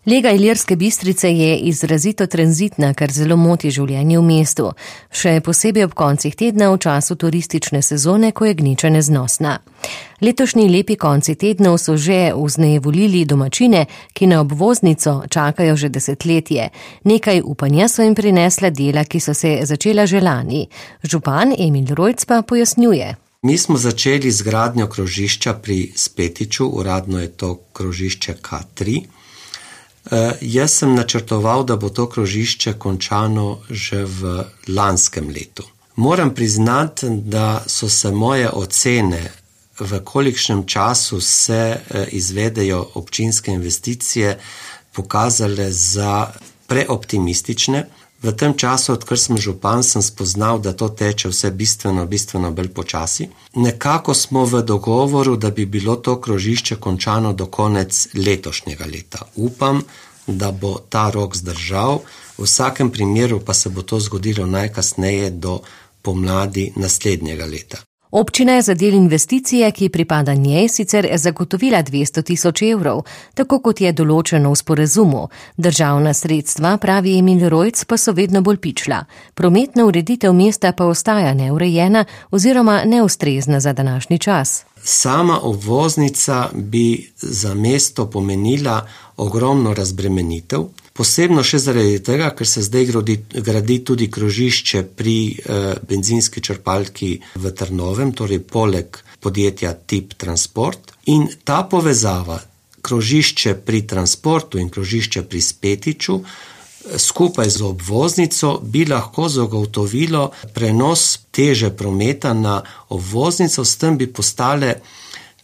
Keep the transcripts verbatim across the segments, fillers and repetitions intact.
Lega Ilirske Bistrice je izrazito tranzitna, kar zelo moti življenje v mestu. Še posebej ob koncih tedna v času turistične sezone, ko je gneča neznosna. Letošnji lepi konci tednov so že vznejevoljili domačine, ki na obvoznico čakajo že desetletje. Nekaj upanja so jim prinesla dela, ki so se začela že lani. Župan Emil Rojc pa pojasnjuje. Mi smo začeli z gradnjo krožišča pri Spetiču, uradno je to krožišče K tri. Uh, jaz sem načrtoval, da bo to krožišče končano že v lanskem letu. Moram priznati, da so se moje ocene, v kolikšnem času se uh, izvedejo občinske investicije, pokazale za preoptimistične. V tem času, odkar sem župan, sem spoznal, da to teče vse bistveno, bistveno bolj počasi. Nekako smo v dogovoru, da bi bilo to krožišče končano do konec letošnjega leta. Upam, da bo ta rok zdržal, v vsakem primeru pa se bo to zgodilo najkasneje do pomladi naslednjega leta. Občina je za del investicije, ki pripada njej, sicer zagotovila dvesto tisoč evrov, tako kot je določeno v sporazumu. Državna sredstva, pravi Emil Rojc, pa so vedno bolj pičla. Prometna ureditev mesta pa ostaja neurejena oziroma neustrezna za današnji čas. Sama obvoznica bi za mesto pomenila ogromno razbremenitev, posebno še zaradi tega, ker se zdaj gradi, gradi tudi krožišče pri eh, benzinski črpalki v Trnovem, torej poleg podjetja Tip Transport. In ta povezava, krožišče pri transportu in krožišče pri Spetiču, skupaj z obvoznico bi lahko zagotovilo prenos teže prometa na obvoznico, s tem bi postale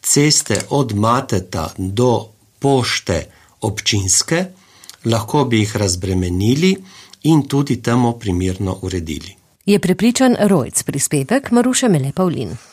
ceste od Mateta do Pošte občinske, lahko bi jih razbremenili in tudi temu primerno uredili. Je prepričan Rojc, prispevek Maruše Mele Pavlin.